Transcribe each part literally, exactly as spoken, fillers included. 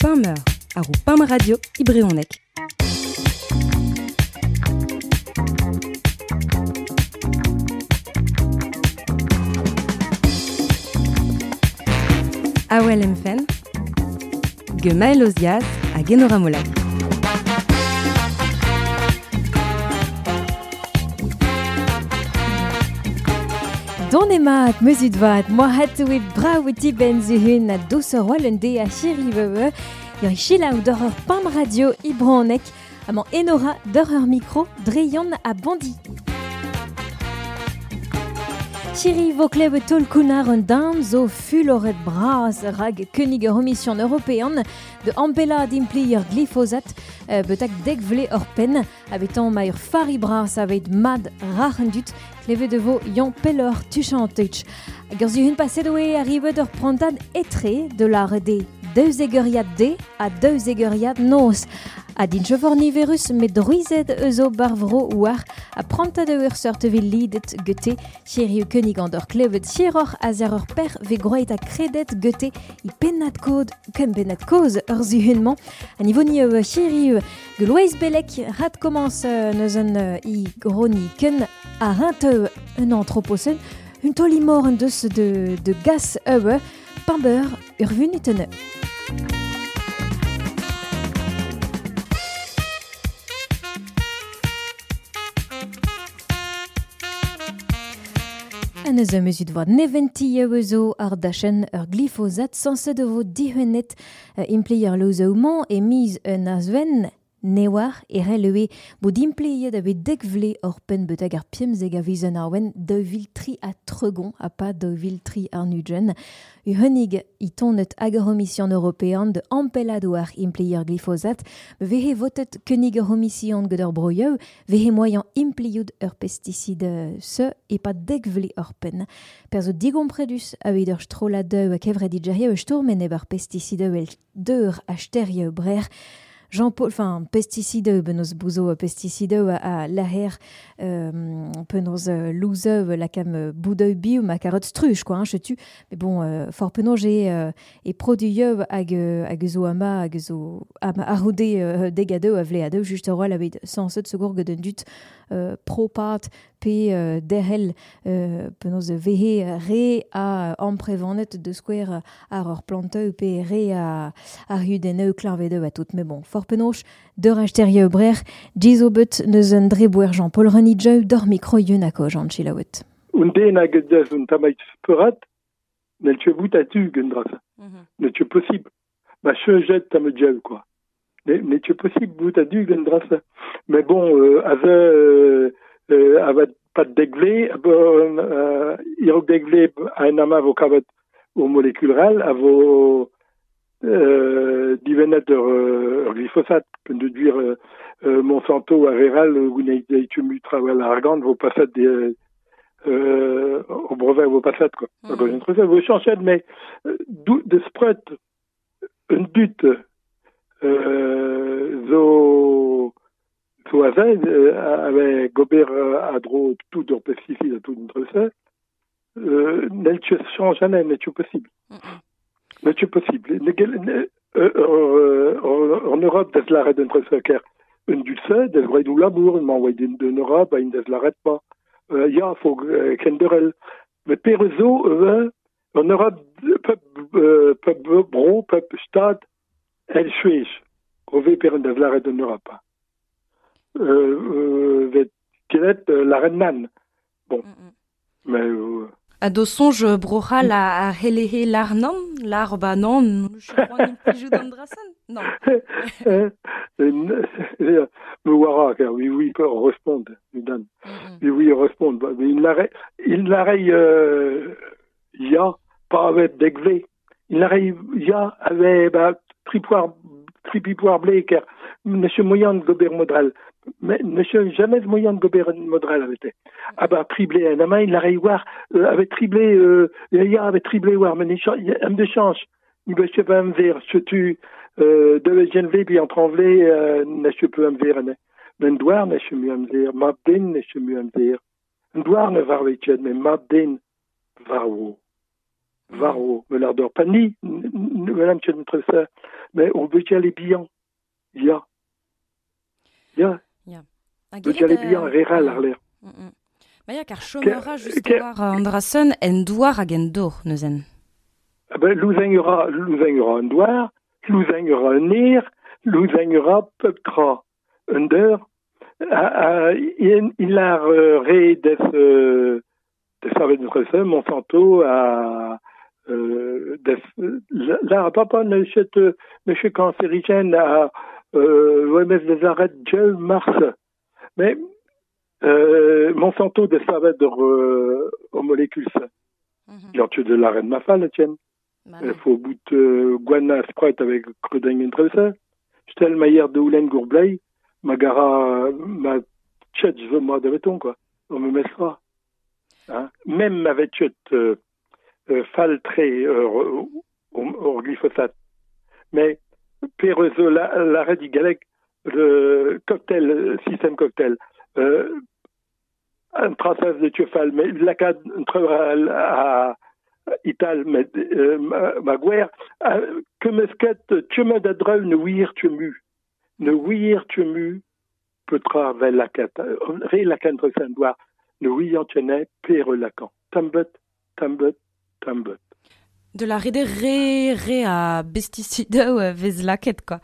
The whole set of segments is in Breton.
Pameur, ar o Pam Radio i brezhoneg. Awel emfen, Gemael Oziaz hag Enora Molac. Don emaat meuzut vat, moa hat oe brav dibenn zuhun a dousor oal un de a chiri veue, ur chilaou d'ur ur pam radio i brezhoneg, amañ Enora d'ur ur micro dreion a bandi. Chiri vo klevet taol kounar un dan zo fuloret bras rag könig ur omission european de ampela d'impli ur glyphosat euh, betak dek vle ur pen abetan ma ur fari bras aveit mad rac'hendut klevet de vo yon pellor tuchanteuch. Hag ur zuhun paset oe arrivet ur prantad etre de la de deux egeriad de a deux egeriad noz. A din chefor niverus met druizet eus o barvro war a prantad ur seurt vil lidet gete chiriu könig an d'ur klevet chiroc'h a zer ur per ve groet a kredet gete i pennad kod ken pennad koz ur zuhunmañ. A niveau ni eo chiriu ge Loeiz Bellec rat commence neus un i groni ken a rinteu un anthropocène un tolimor un deus de, de gas eue pambeur ur vunutene. An eus meuzut vat neventi eo zo ar dachen ur glyphosat sanset de vo dihuennet impli ur lozeoù-mañ e miz un azven newar e relewe bo dimpliet a bet dek vle ur penn betag ar piemzeg a viz an arwen daou vil tri a tregon a pa daou vil tri ar nugen. Uhenig i tonet hag ur omission european de ampeladoar implier glyphosat vehe votet könig ur omission gant ur broioù vehe moyen impliout ur pesticide se e pa dek vle ur penn. Per zo digompredus a evit ur strollad a kevret digerie ur stourmen eb ar pesticide el deur a sterioù brer. Jean-Paul, enfin, pesticide, penaos bouzo pesticide a, a laher, euh, penaos louzeu la cam boudeu biou ma carotte struche, quoi, hein, chetu. Mais bon, euh, for penaos j'ai euh, e produieu hag, hag zo ama, hag zo ama arroude euh, degadeu a vleadeu, just a roal aveit sanset segour gant un dut euh, propat pe euh, derhel euh, penaos vehe re a amprevanet de square ar ur planteu pe re a ar hudeneu klarvedeu a tout. Mais bon, for penaos d'ur acheterieu brer, jizo bet neus un dreboer Jean-Paul Renidjeu d'ur micro yun a ko Jean Chilawet. Un den hag deus un tamait speurat, n'el tu bout a tu gant drasa. N'el tu possible. Ma chejet tamedjeu, quoi. N'el tu possible bout a du gant drasa. Mais bon, euh, ave euh, euh, avat pat degvle, euh, irok degvle a en ama vo kavet o molekuleral, a vo euh, divennet ur, ur glyphosat, pen de duir euh, euh, Monsanto a reral, gouneit deitu trawel argant, vo pasat de, euh, o brevet vo pasat, quoi. Mm. Mm. Vo chanchet, mais dou, de spret un dut euh, zo zo a zed, avec gober a dro tout ur pesticide a tout un euh, n'el tu change jamais, n'el tu possible. N'el tu possible. En Europe, des l'arrêt d'un ker un dulce, des vrai dou labour, m'envoie de Europe, une des l'arrête pas. Ya, faut kenderel. Mais perezo, en Europe, pep, pep bro, pep stad, el chuej. Rove per des l'arrêt de Europe. Euh, euh, vet la reine nan. Bon. Mm -mm. Mais euh, A do sonj brochal a, a helehe l'arnan, l'arba non, je d'andrasan, non. Me wara, car oui, oui, respond, dan. Oui, oui, respond. Mais il l'arrête, il l'arrête, euh, ya, pas avec degve. Il l'arrête, ya, avec, bah, tripoir, tripipoir blé, car, monsieur moyen de gober modral. Mais monsieur jamais moyen de gober modral avait été. Ah bah triblé un ama il l'arrive war avait triblé euh ya avait triblé war mais am de change. Il va se pas ver ce tu euh de genve puis entre anglais euh ne se peut am ver ne. Ben douar ne se mu am ver ma den ne se mu am ver. Un douar ne var mais ma den var wo. Varo, me l'ardeur pani, me ça, mais au bugale bihan. Ya. Ya. Ya. Bugale bihan, reral ar l'air. Ba ya, kar chomera just war Andrason en douar hag en dor, neuzen. Ben, louzeñ ura, louzeñ ura un douar, louzeñ ura un er, louzeñ ura pep tra un deur, il a re des euh, des savet de Monsanto a euh, des la papa ne chet ne chet cancérigène à euh, l'O M S des arrêts de mars mais euh, Monsanto des savet de euh, aux molécules ça mm-hmm. Tu de la reine mafal tiens il faut bout euh, guana sprite avec crudeng entre ça stel mayer de oulen gourblay ma gara ma chet je moi de béton quoi on me mettra hein même avec chet euh, euh, faltré euh, au, au glyphosate mais pérezo la l'arrêt du galec le cocktail système cocktail euh, un traçage de tuefal mais la cad à Ital mais euh, ma guerre que mesquet tu me d'adreu ne wir tu mu ne wir tu mu petra vel la cat ré la cantre saint ne wir tene pere lacan tambet tambet tambet de la rede ré ré a pesticide vez laket quoi.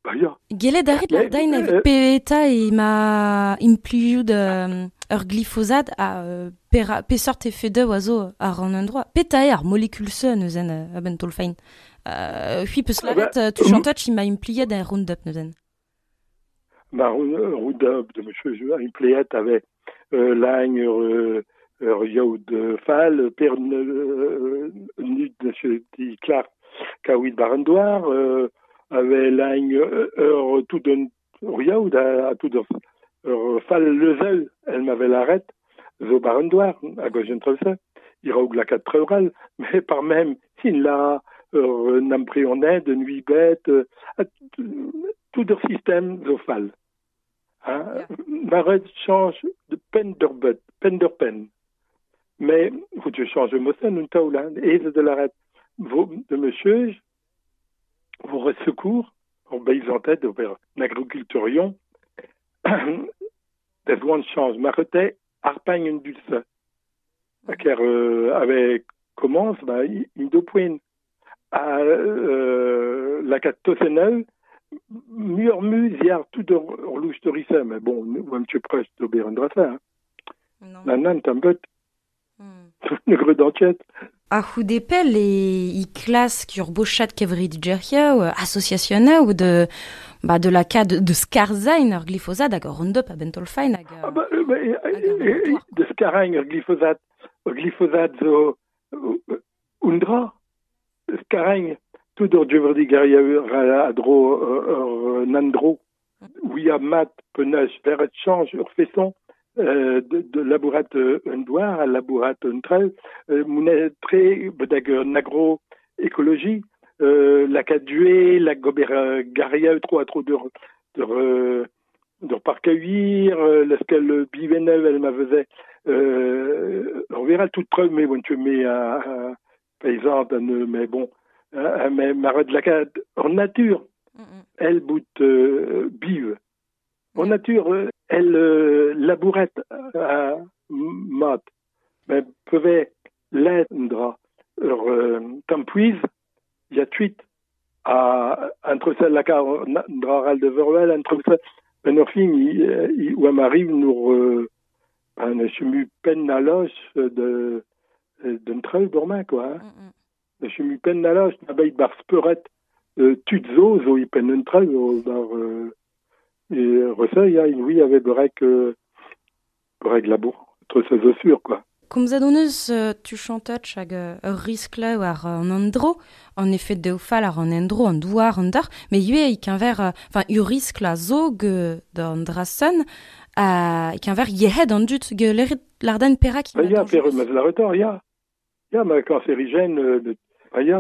Ba ya. Gelet arit la dain evit peta e ma impliout ur glyphosate a pera pesort effe a zo ar an endroit. Peta eo ar molekul se neuzen a-benn tolfain. Hui peus laret tu chantat ma impliet un Roundup neuzen. Ma Roundup de monsieur impliet avait lagne ur yaout fal per nud monsieur di Clark kaouit barendoir avait lagne ur tout d'un yaout a tout ur fal lezel elle m'avait l'arrête zo barendoir à gauche entre ça il raoug la quatre treural mais par même il la ur n'ampréonait de nuit bête tout leur système zo fal hein yeah. Change de peine d'ur bet peine d'ur peine mais faut tu changes mosen un taoula et de l'arrêt de monsieur vous secours en paysantet de l'agriculturion des one change marete arpagne une dulce car euh, avec commence bah il deux points à euh, la catosenel mur musiar tout de louche de rissa mais bon ou un petit presse de berendra non nan tambet ne gre d'enquête. A c'houdepel e i klask ur bochat kevri digerhiaou, associationaou de, ba, de la ka de, de skarzain ur glyphosate hag ur Roundup a bentolfain hag... Ah ba, ba, e, e, de skarzain ur glyphosate, ur glyphosate zo undra, skarzain, tout ur djeverdi gariaou a dro ur nandro, oui a mat penaos verret change ur fesson, Euh, de, de labourat un douar à labourat un trel euh, mounet tre bedag un agroécologie euh, la cadué la gober garia trop à trop de de de parcueillir lesquels bivenel elle m'avait euh, on verra toute preuve mais bon tu mets à, à paysan mais bon hein, mais marre de la cad en nature mm -hmm. elle bout euh, bive en nature elle euh, labourette à mat mais pouvait l'indra ur euh, tampuiz ya tuit a entre celle la dra de verwel entre ça ben ur fin ou m'arrive nous ben je mu peine na loche de d'un treu dormain quoi hein. Mm -hmm. Je mu peine na loche na beit bar speuret tud zo zo i pen un treu bar euh, et ressa, il y a une oui avec brek brek labour entre ses sûr quoi. Komzet hon eus tu chantach hag ur riskle war an endro, an effet de fal ar an endro, an douar, an dar, mais ivez e keñver, enfin, ur riskl a zo ge d'an drasen, a keñver yehed an dut ge lerit l'arden perak. Ba ya, per maz la retard, ya. Ya, ma cancérigène, de, ba ya.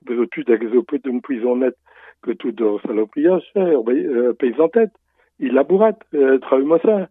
Bezo tud hag zo pet un poison net que tout de salopriage, euh, paysantet, il labourat, euh, travaille-moi ça.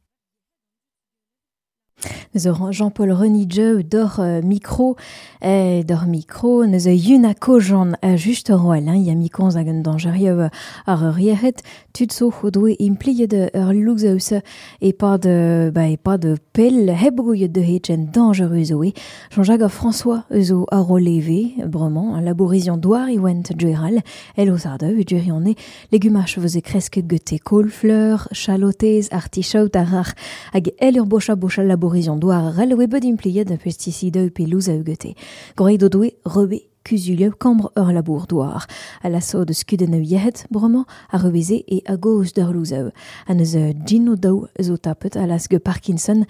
Jean-Paul Renidjeu d'or euh, micro, eh, d'or micro, neus yuna kojan a just roel, hein, ya mikonz hag un danjerieu ar ur yec'hed, tud zo o doe impliet ur louzaus e pad, ba, e pad pel heb gouiet de hetchen dangereux oe. Jean-Jacques François eus o ar oleve, bremañ, labourizion douar e oent djueral, el o zardeu, djurione, legumach veze kresk gete kohlfleur, chalotez, artichaut ar ar hag el ur bocha bocha labourizion douar ar el oe bet impliet a pesticide pe louz a gete. Groeit o doe rebe kuzulio kambr ur labour douar. A la so de skuden a yehet, bremañ, a rebeze e a goz d'ur louzeu. A neus gin o daou zo tapet a las ge Parkinson,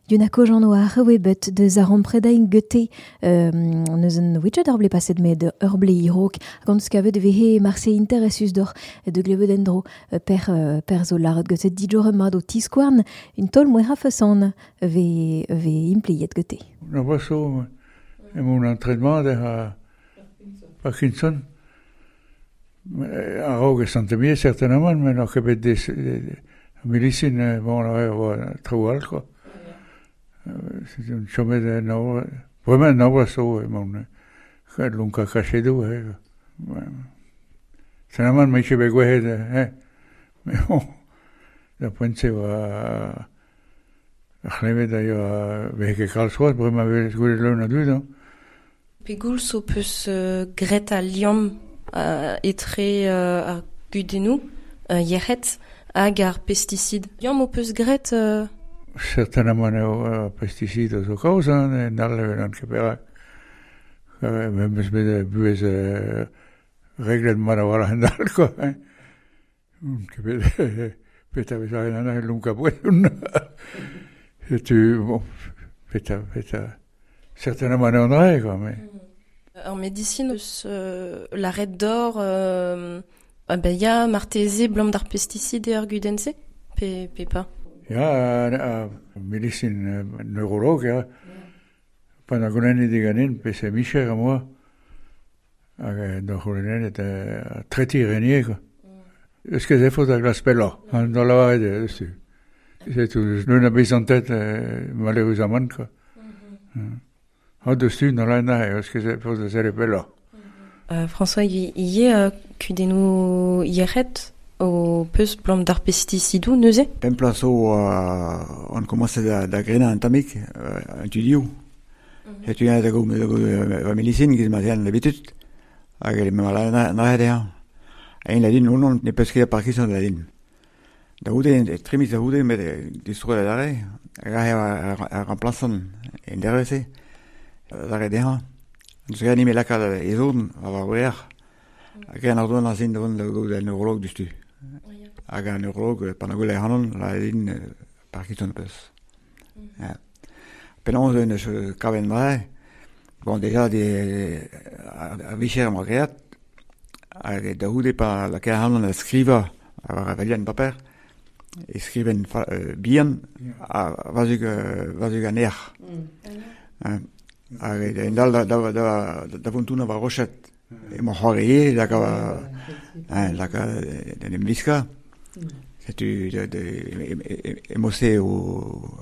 Yuna kojan oa ar bet de zaron predain gete euh, neus un widget ur ble paset met ur ble irok gant skavet de vehe marse interessus d'or de glevet endro per, per zo laret gete dijor mad o tiskouarn un tol moera façon ve, ve impliet gete. Na braso e mon entraînement de a Parkinson a raog e santemie certainement mais n'oc'h ket bet des milicine bon la traoù all quoi. C'est un chomet de no vraiment no braso e mon lunka kachedou eh. Certainement me ket bet gwehet eh. Mais bon da poent se oa ar c'hlevet a yoa vehe ket kalz c'hoazh bremañ vez gwelet leun a dud, hein. Pegoulz ho peus euh, gret a liamm euh, etre euh, ar gudennoù euh, yec'hed hag ar pesticid. Liamm ho peus gret euh... Certainement eo euh, pesticid zo kaoz, hein, en all an ket perak. Euh, meus bet buhez euh, reglet mat a-walc'h en dal, quoi. Hein. Ket bet peta vez ar en an lunka poezon. Setu, bon, peta, peta, certainement eo an dra, quoi, mais... En médecine, eus euh, l'arrêt d'or, euh, ah ben ya marteze blam d'ar pesticide ur gudense pe, pe pa. Ya, a, a médecine neurologue, ya. Pan a golennet diganin, pe se micher a moa, hag d'ar c'houlennet et a treti renier, quoi. Eus ket efot a glas pelloc'h, an d'ar lavaret eus tu. C'est tout, leun a bez an tête, malheureusement, quoi. Mm. Ha deus tu, n'ar la nahe, eus ket efot a zere pelloc'h. Euh, François, y y euh, kudennoù yec'hed o peus blam d'ar pesticidou neuze? Pempla zo euh, on commence da, da grena an tamik, euh, an tudiou. Setu mm-hmm. Da go, da go va médecine giz ma zean l'habitude. Hag e ma la nahe dezhañ. Ein la din, non, ne peus ket a Parkinson la din. Da goude, tremiz da goude, met distro da dare, hag a, a, a remplaçan en dervese, dare dezhañ. Deus ket anime lakaat e zon, a war weer. Hag an ardoan a zin da vont da gaout an neurolog dustu. Hag an neurolog, pan a gwell e hanon, la din Parkinson peus. Ja. Penaos eus kaven dra, bon, déjà, de, a, a vicher am great, hag da goude pa lakaat hanon a skriva, a war a valian paper, e skriven fa, euh, bihan, a vazug, vazug an erc'h. Mm. Hag en dal da, da, da, da vontuna war rochet, emañ c'hoar e, laka, hein, laka en em viska. Setu de, de, emose o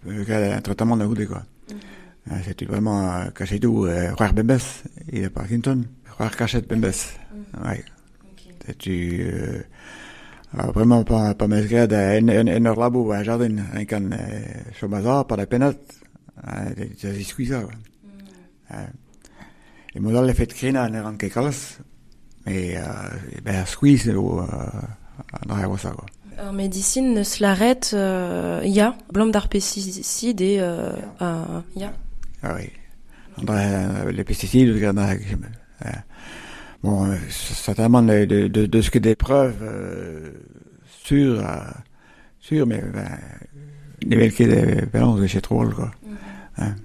un traitement da goude, quoi. Mm. Setu vraiment kachetou c'hoar bembez, e Parkinson, c'hoar kachet bembez. Mm. Ouais. Setu euh, vraiment pa, pa meus graet en, en, en ur labo a jardin, en kan chomaza, pa da penat, da ziskuiza, quoi. Mm. E mod all e fet krena ne ran ket kalz, mais euh, ben ar skuiz eo an dra oa sa, quoi. Ar médecine neus laret, euh, ya, blam d'ar pesticide e euh, euh, ya. Ah oui. An dra, les pesticides, an dra, euh, bon, certainement de, de, de, de ce que des preuves euh, sûres, euh, sûres, mais ben, ne vel ket penaos e chet troll, quoi. Mm-hmm. Hein.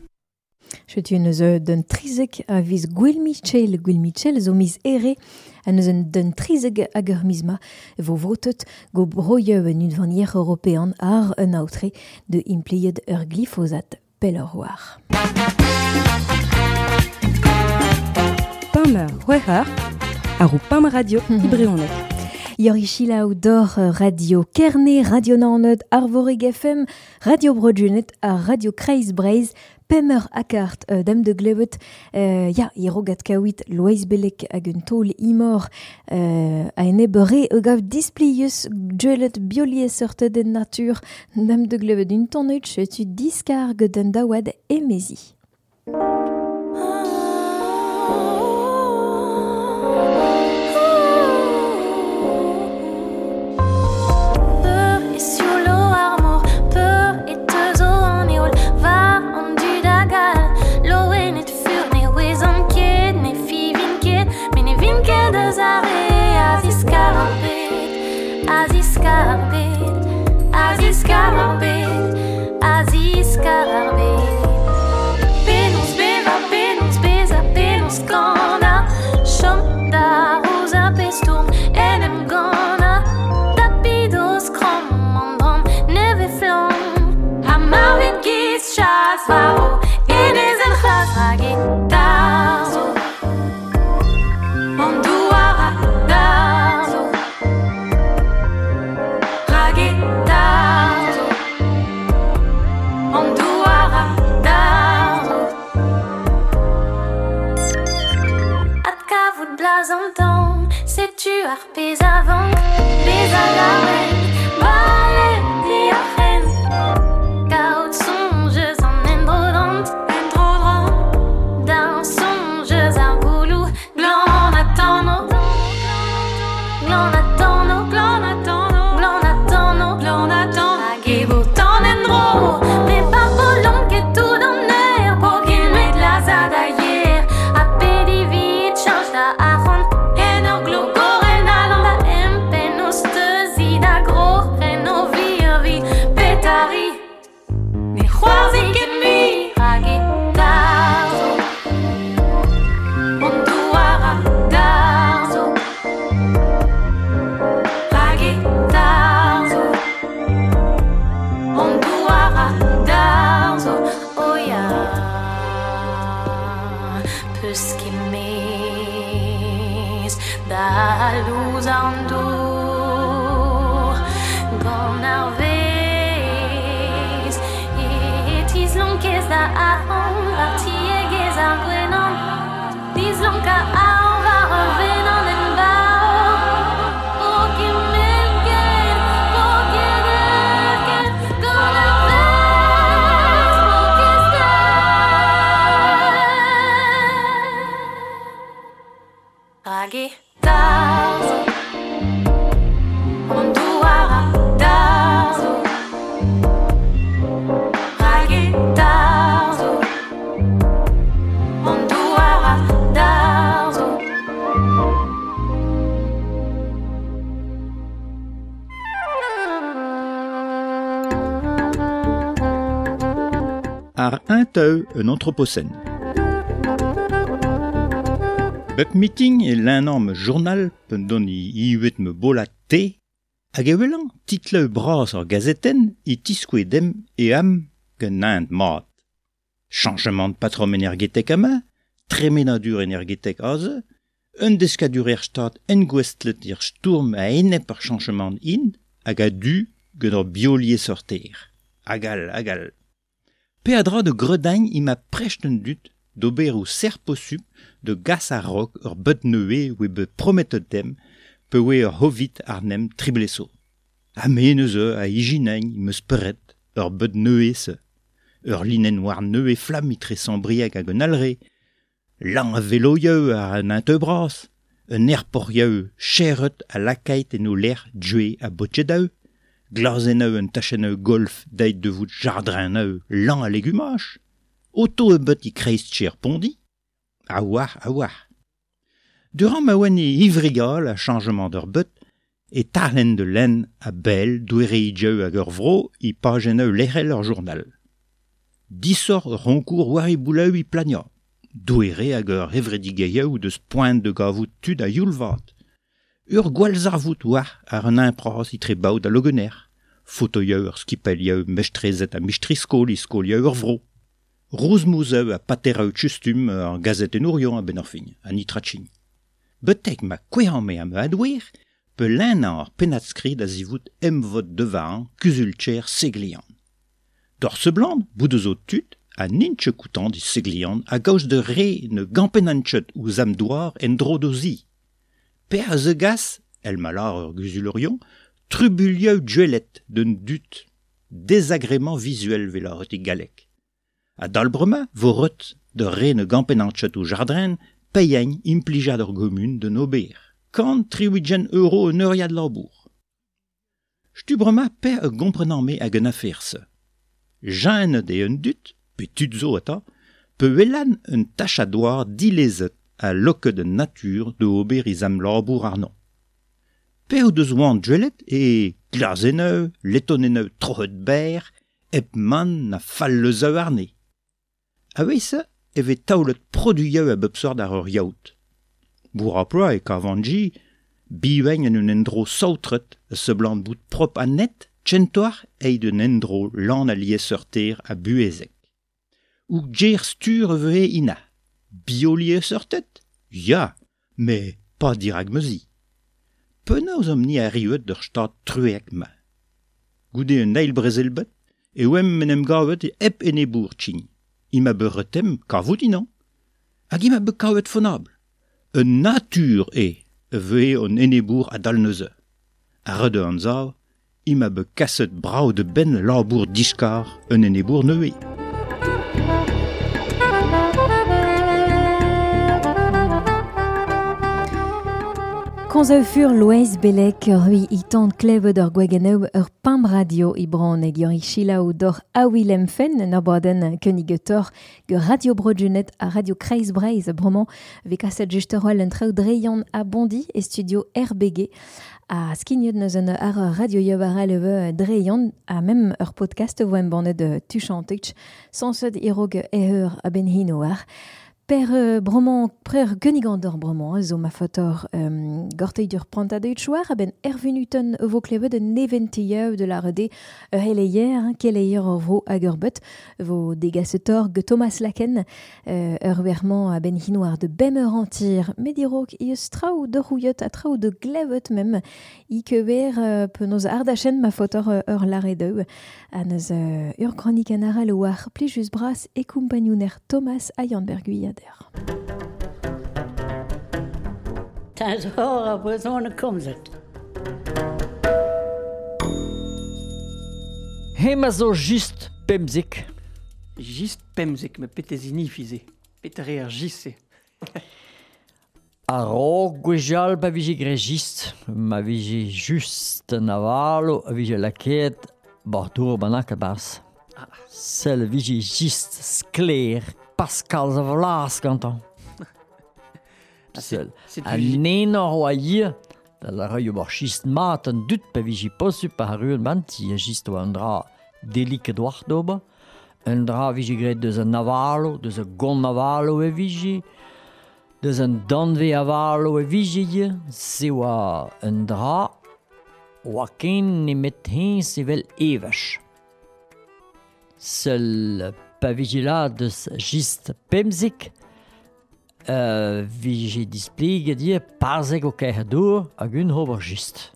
Setu neus d'un trizek a viz Gwil Michel, Gwil Michel zo miz ere, a neus d'un trizek hag ur miz ma vo votet go broieu en unvanier european ar un aotre de impliet ur glyphosat pelloc'h war. Pameur c'hwec'h eur, ar o Pam Radio Ibreonek. Yorichila ou dor Radio Kerne, Radio Naoned, Arvorig F M, Radio Broadjunet ha Radio Kreiz Breiz, Pemer akart euh, dam de glevet euh, ya irogat kawit Loeiz Belek hag un taol imor euh, a en ebere e gav displius djelet bioliesseurted en natur dam de glevet un tonneut tu diskarg den daouad emezi. Aziz Karabet, Aziz Karabet. Penons beva, penons beza, penons kana. Chom da rosa pestourm, en em gana. Tapidos kram, an neve flam. Ha marvet giz chas varo, enez en c'hlas rag e tarzo. An douar a darzo. Rag e tarzo. An douar a darzo. Adkavout blaz an tan, setu ar pez avant, bez a laouen, bale di ar c'hen. Kaout sonjez an endrodant, endrodant, d'un sonjez ar goulou, glan a tanno, glan a tanno, glan a tanno, glan a tanno, glan a tanno, hag e vo tan endro, me par bolon ket tout an aer, po ket met lazad a yer, a pedi vit chanj da arc'hant, en ur glogoren alan da empen o steuzi da gro, ren o virvi, petari, ne c'hoarzi ket mui, rag e tarzo, an douar a darzo, rag e tarzo, an douar a darzo, o ya, peus ket mez da louz an dour, gant ar vez, e tizlonkez da ahon, war tiegez ar gwenan, dizlonk a ahon war ur venan en bao. Po ket melket, po ket erket, gant ar vez, po ket ster. Rag e tarzo, an douar a darzo, rag e tarzo, an douar a darzo. Ar un teu un anthropocène. Bep meeting e l'énorme journal pen don i iuet me bola te, hag e welan titleu bras ar gazeten i tiskoe dem e am gen naent mat. Changement de patron énergétek ama, tremenadur énergétek aze, un deskadur er stad engwestlet ir stourm a enep ar changement in, hag a du gen ur biolier sorter. Agal, agal. Peadra de gredagne i ma precht un dut d'ober ou ser possup de gas a rok ur beut neue oe be prometet dem pe oe ur hovit ar nem tribleso. Ha me neuze a ijinagn meus peret ur beut neue se. Ur linen war neue flam itre sambrieg hag un alre, lan a veloieu ar un intebras, un airporieu cheret a lakait en o ler djue a botjedeu, glazeneu un tacheneu golf deit de vout jardrineu lan a legumach, auto e beut i kreiz tcher pondi, a war a war. Durant ma oan e ivrigal a changement d'ur beut, e tarlen de len a bel douere i djeu hag ur vro i pajeneu lerel ur journal. Disor ur ronkour war i bouleu i plania, douere hag ur hevredigeieu deus poent de gavout tud a youlvat. Ur gwalzarvout war ar un impras i tre baout a logener, fotoieu ur skipelieu mechtrezet a michtriskol i skolieu ur vro. Rouzmouzeu a patereu tchustum ar gazetenourion a ben ar fin, a nitrachin. Betek ma kwehan me am adouer, Pe lennañ ar pennad-skrid a zivout emvod devañ kuzul-tcher Seglian. D'or seblant, bout eus o tud, a n'int koutant di Seglian a gaoz de re ne gampenantchet ouzh am douar en dro d'o zi. Per a ze gas, el malar ur guzulorion, trubulieu duelet d'un dut, désagrément visuel vel ar e galek. A dalbrema vo reut de re ne gampenantchet ou jardrin, peiagn implijad ur gomun de n'ober. Kant triwidjen euro un euriad labour. Stubrema per e gomprenan me hag un aferse. Jeanne de un dut, pe tud zo ata, pe welan un tachadoar dilezet a loket de nature de ober iz am labour arnon. Per o deus oan duelet e glazeneu, letoneneu trohet ber, ep man na falleuzeu arne. A weise e ve taolet produieu a bep sort ar ur yaout. Bour a ploa e kavanji, biwegn en un endro saotret a seblant bout prop a net, tchentoar eid un endro lan a lieseurter a buezek. Ou gjer stur e ina. Bio lieseurtet? Ya, mais pas dirag meuzi. Penaos am ni a riuet d'ur stad truek ma. Goude un eil brezelbet, e oem men em gavet e ep enebour tchign. Ima be retem kavout inan. Hag ima be kavet fonabl. Un natur e vehe on enebour a dal neuze. A rede an zav, ima be kaset brao de ben labour diskar un enebour neue. Komz fur Loeiz Belek ur hui itant klevet ur gwageneu ur pimp radio i bran hag ur chilaou d'or a Willem Fen en ur baden keunigetor ge Radio Broadjunet a Radio Kreiz Breiz bremañ ve kaset just ur en traoù dreion a Bondi e studio R B G a skignet neus an ar radio yobarel eve dreion a mem ur podcast vo em bannet tuchantech sansed irog eheur a ben hinoar. Per euh, bremañ, per genigandor bremañ, zo ma fotor um, gorteidur prantad eut chouar, a ben ervenuten vo klevet un eventieù de la rede ur heleier, keleier ur vro hag ur bet, vo degasetor ge Thomas Laken, euh, ur wermañ a ben hinoar de bemeur antir, medirok i eus traoù de rouillet a traoù de glevet mem, i kever euh, penaos ardachen ma fotor ur laredeu, a neus euh, ur kronik an aral oar plijus bras e kumpagnouner Thomas a Yann Berguiad. Ta zo a brezhoneg komzet. Hema zo just pemzik. Just pemzik, me petezini fize. Petere ar jisse. A-raok gwechall pa vije gre just, ma vije just an avalo, a vije lakaet bar dour bannak a-barzh. Ah. Sell vije just sklaer Pascal a vlas gantañ. Sell. C'est A nenor oa hier, da la raio bar chist mat an dut pa vije posu pa ar ruan manti, a chist oa an dra deliket oar d'ober. Un dra vije graet deus an avalo, deus a gont avalo e vije, deus an danve avalo e vije hier, se oa un dra oa ken nemet hens evel evach. Seul pa vije la deus just pemzik, euh, vije displeget dir parzek o kaer dour hag un ober just.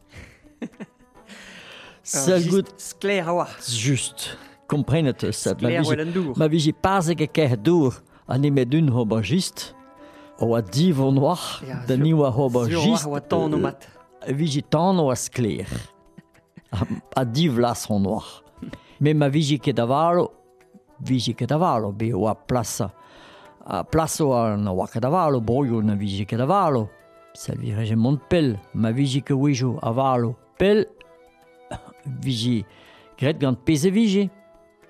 Seul gout sklaer a oa. Just. Komprenet eus. Ma Sklaer vije, oa an dour. ma vije parzek e kaer dour ha nemet un ober just, oa divon oar, Ja, da ni oa ober sur just. oa tan o mat. Vije tan oa sklaer. A, a divlas hon oar. Me ma vije ket avalo, vije ket avalo, be oa plasa. A plaso a na oa ket avalo, broioù na vije ket avalo. Sel vireje mont pell, ma vije ket wejo avalo pell, vije graet gant pezh e vije.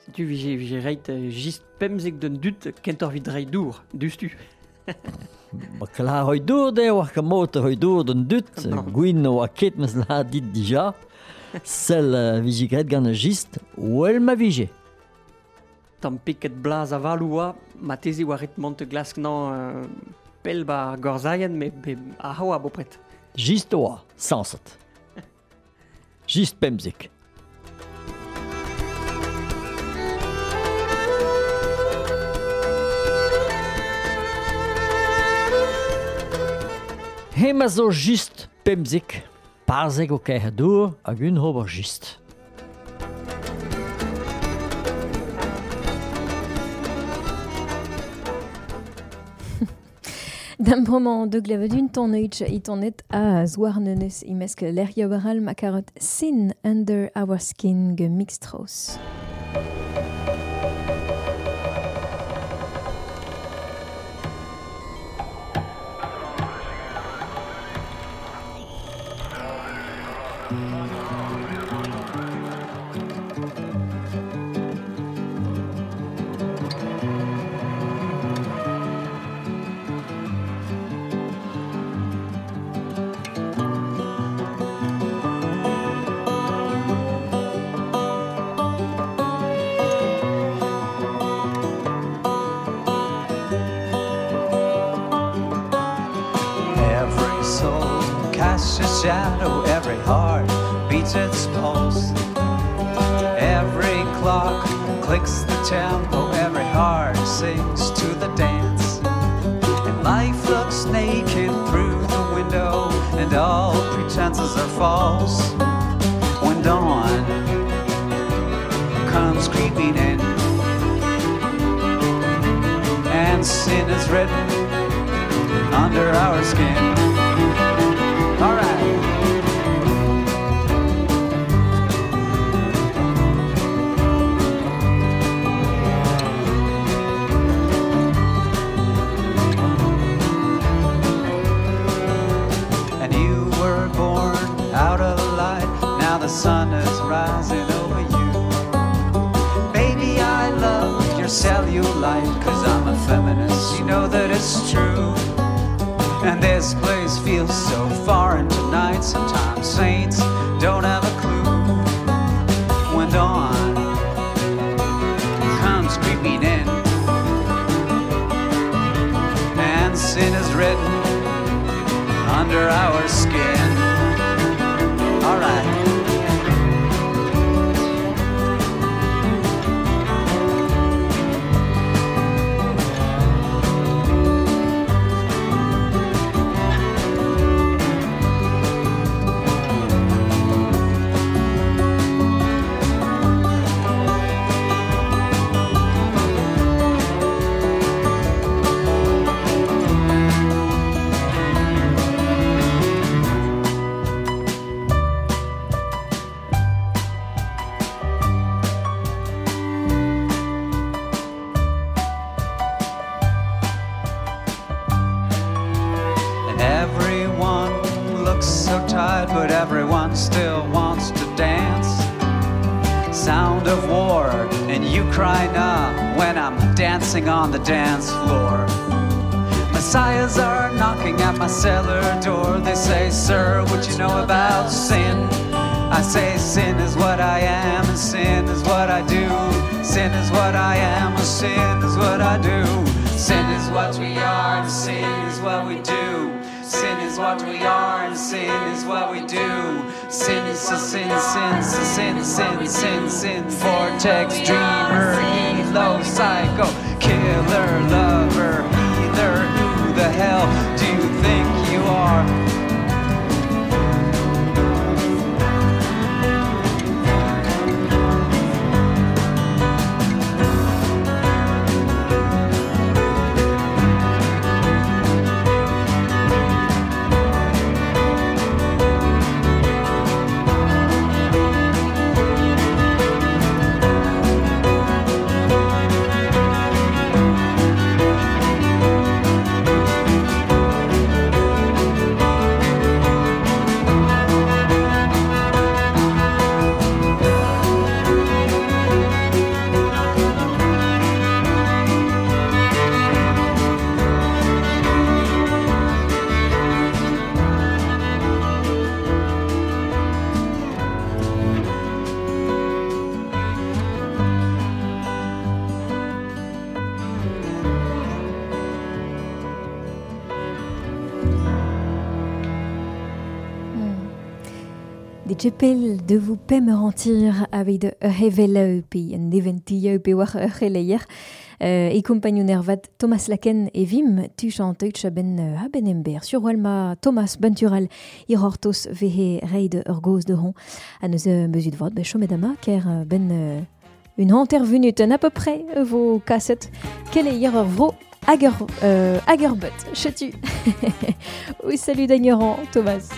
Setu vije, vije reit just pemzek d'un dut kentor vid reit dour, dustu. Ba klar hoi dour de oa ket mot hoi dour d'un dut, gwin oa ket meus la dit dija. Sel uh, vije graet gant a just, wel ma vije. Tamm peket blaz avalou oa, ma teze oa ret mont glask nan euh, pell ba gorzaien, me, me a oa bopret. Just oa, sañset. Just pemzek. Hema zo just pemzek. Parzeg o kerc'h dour hag un ober jist. D'am bremañ de glevet ton eich itonet a zouarnenez imesk lec'hioù aral ma karot Sin Under Our Skin ge Mixtros. Shadow, every heart beats its pulse. Every clock clicks the tempo, every heart sings to the dance. And life looks naked through the window, and all pretenses are false. When dawn comes creeping in, and sin is written under our skin. All right. And you were born out of light. Now the sun is rising over you. Baby, I love your cellulite, 'cause I'm a feminist. You know that it's true. And this place feels so foreign tonight. Sometimes saints don't have a clue. When dawn comes creeping in, and sin is written under our skin. All right. Still wants to dance. Sound of war, and you cry nah when I'm dancing on the dance floor. Messiahs are knocking at my cellar door. They say, sir, what you know about sin? I say, sin is what I am, and sin is what I do. Sin is what I am, and sin is what I do. Sin is what we are, and sin is what we do. Sin is what we are, and sin is what we do. Sin is a sin, sin, sin, sin, sin, sin. Vortex, dreamer, helo, psycho, killer, lover, healer. Who the hell do you think you are? Chepel de vous pemerantir aveit ur heveleu pe un eventioù pe war ur c'heleier. Euh, e kompagnon ervat Thomas Laken e vim tu chanteutch ben uh, ben ember. Sur ma Thomas Bentural irortos vehe reid ur goz de hon. A neus mesut vot, ben chomedama ker ben euh, une hanter venut à peu près vos cassettes. Quel est hier vro ager euh, agerbut chetu. Oui, salut d'ignorant Thomas.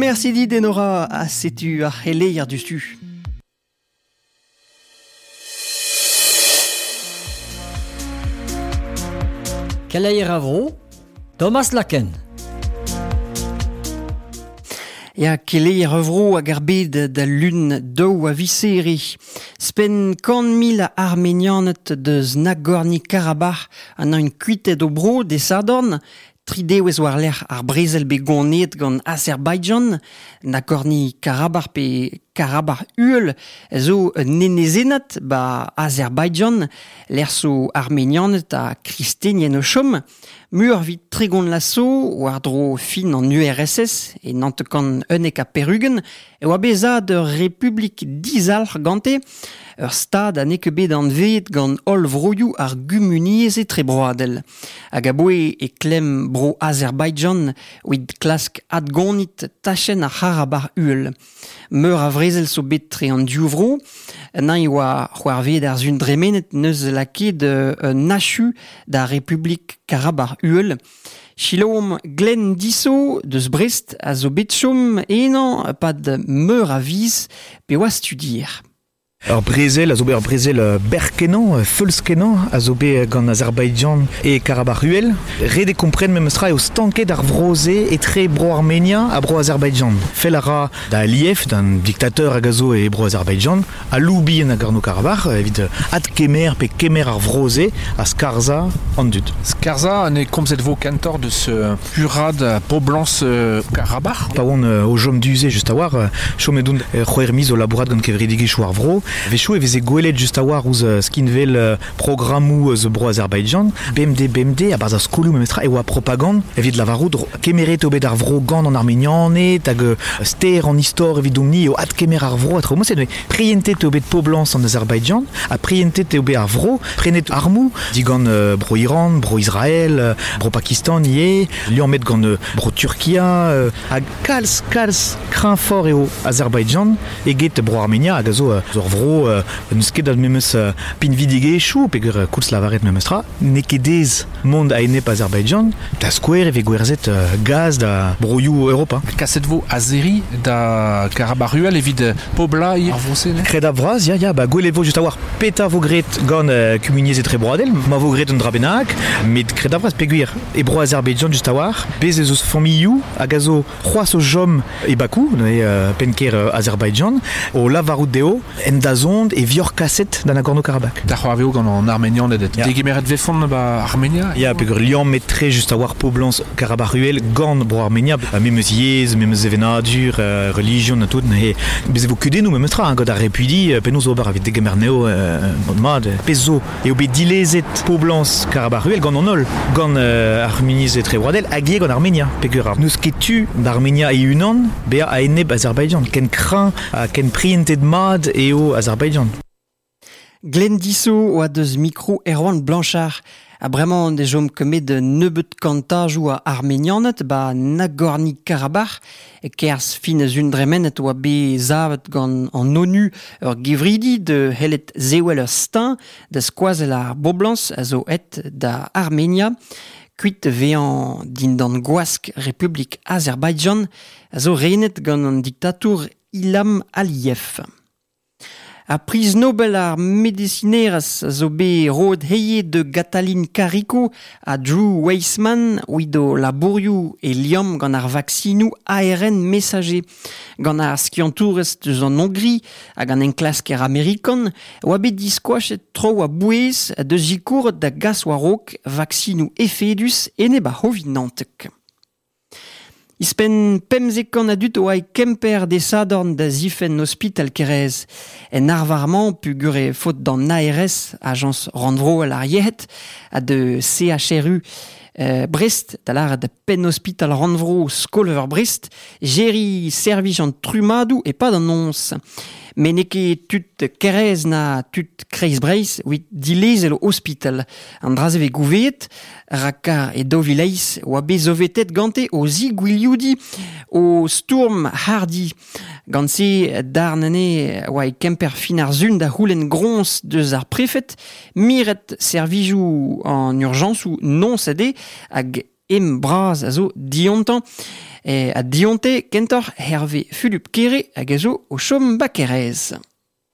Merci dit Enora a setu ar c'heleier du stu. Keleier a vro, Thomas Laken. Ya keleier a vro hag ar bed da lun daou a viseri. Spen kant mil a armenianet deus Nagorno-Karabakh an un kuitet o bro de Sardorn, Tri dewez war lec'h ar brezel bet goneet gant Azerbaidjan, Nagorno-Karabakh pe Karabakh uhel zo un enezenad ba Azerbaidjan, lec'h zo armenianet ha kristenien o chom, mur vit tregont lasso war dro fin an U R S S e nantekan unnek ha perugen, e oa bezad ur republik dizalc'h gante, ur stad a n'eo bet anvet gant holl vroioù ar gumuniezh etrebroadel. Hag aboe e klemm bro Azerbaidjan oid klask adgonit tachenn ar C'harabakh uhel. Meur a vrezel zo bet tre an div vro, nañ oa c'hoarveet ar zun dremenet neus lakaet un achu da Republik Karabakh uhel. Chilaom Glenn Disso deus Brest a zo bet chom enañ pad meur a viz pe oa studier. Ur brezel, a zo bet ur brezel berkenañ, feulskenañ, a zo bet gant Azerbaidjan e Karabakh uhel. Ret e kompren memestra eo stanket ar vroze etre bro Armenia ha bro Azerbaidjan. Fel a ra da Aliyev, d'un diktateur hag a zo e bro Azerbaidjan, a loubi en Nagorno-Karabakh, evit adkemer pe kemer ar vroze a skarza an dud. Skarza an e komzet vo kentor deus purad poblans Karabakh. Pa oan o jom duze just a war, chom edon c'hwec'h miz o labourat gant kevredigezhioù ar vro. Vechou e veze gwelet just a war ouzh skinvel programmoù eus bro Azerbaidjan, B M D, B M D, a barzh ar skolioù memestra e oa propagand evit lavarout kemeret eo bet ar vro gant an Armenianed hag ster an istor evidomp-ni eo adkemer ar vro a tro moset, mais prientet eo bet poblans an Azerbaidjan, ha prientet eo bet ar vro, prenet armoù digant bro Iran, bro Israël, bro Pakistan ivez, liammet gant bro Turkia, hag kalz, kalz kreñv-fort eo Azerbaidjan eget bro Armenia hag a zo ur vro euh, n'eus ket al memes euh, pinvidigezhioù peogwir euh, koulz lavaret memestra, n'eo ket aes mont a-enep Azerbaidjan, da skouer e vez gwerzhet euh, gaz da broioù Europa. Kaset vo Azeri da Karabakh uhel evit poblañ ar vro-se, ne? Kred a vras, ya, ya, ba gwelet vo just a war peta vo graet gant euh, kumuniezh etrebroadel, ma vo graet un dra bennak, met kred a vras peogwir e bro Azerbaidjan just a war, bez ez eus familhoù hag a zo c'hoazh o chom e Bakou, e euh, penker euh, Azerbaidjan, o lavarout dezho en da zond e vior kaset da Nagorno-Karabakh. Da c'hoarveo gant an Armenian edet. Ya. Degemeret vefont ba Armenia? Ya, peogwir liammet tre just a war poblans Karabakh uhel gant bro Armenia, memes yezh, memes sevenadur, euh, religion ha tout, ne bez e vo kudennoù memestra, hein, gant ar repuidi, penaos ober evit degemer neo euh, mat, pezh zo eo bet dilezet poblans Karabakh uhel gant an holl, gant euh, Armeniz etrebroadel hag ivez gant Armenia, peogwir ar n'eus ket tu d'Armenia e-unan bezañ a-enep Azerbaidjan, ken kreñv ha ken prientet mat eo Azerbaidjan. Glenn Disso oa deus mikro Erwan Blanchard. A bremañ de jom kemet nebeut kantajoù a Armenianet ba Nagorno-Karabakh e kerzh fin eus un dremenet oa bet savet gant an ONU ur gevridi de hellet zewel ur stein da skoazell ar boblans a zo et da Armenia. Kuit vezañ dindan gwask Republik Azerbaidjan a zo renet gant an diktatour Ilham Aliyev. A priz Nobel ar medicinerez zo bet roet heie de Katalin Kariko a Drew Weissman oido labourioù e liamm gant ar vaksinoù A R N messager. Gant ar skiantourez deus an Hongri hag an enklasker amerikan oa bet diskoachet tro a bouez deus zikouret da gas war-raok vaksinoù efedus enep ar c'hovid naontek. Ispen pemzek kant a dud oa e Kemper de Sadorn da zifen hospital Kerez. En arvarman pugure faot d'an A R S, agence rannvroel ar yec'hed, ha de C H R U euh, Brest, da lâret da penn hospital rannvro Skolver Brest, geri servij an trumadoù e pad an noz. Met n'eo ket tud Kerez na tud Kreiz Breizh evit dilezel o hospital. An dra-se vez gouveet, rak e daou vil eizh oa bet zovetet gante o zigwilioudi o stourm hardi. Gant se darn ane oa e Kemper fin ar zun da c'houlenn groñs deus ar prefet, miret servijoù an urjañsoù non sede hag em braz a zo diontañ. E a dionte kentoc'h Hervé Fulup Kere hag a zo o chom ba Kerez.